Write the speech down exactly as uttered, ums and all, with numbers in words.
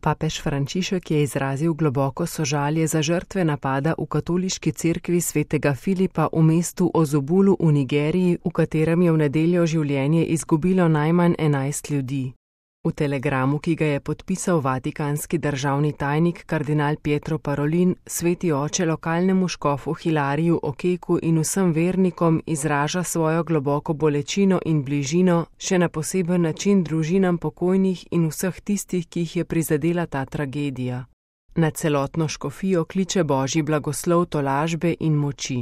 Papež Frančišek je izrazil globoko sožalje za žrtve napada v katoliški cerkvi svetega Filipa v mestu Ozubulu v Nigeriji, v katerem je v nedeljo življenje izgubilo najmanj enajst ljudi. V telegramu, ki ga je podpisal vatikanski državni tajnik kardinal Pietro Parolin, sveti oče lokalnemu škofu Hilariju Okeku in vsem vernikom izraža svojo globoko bolečino in bližino, še na poseben način družinam pokojnih in vseh tistih, ki jih je prizadela ta tragedija. Na celotno škofijo kliče božji blagoslov tolažbe in moči.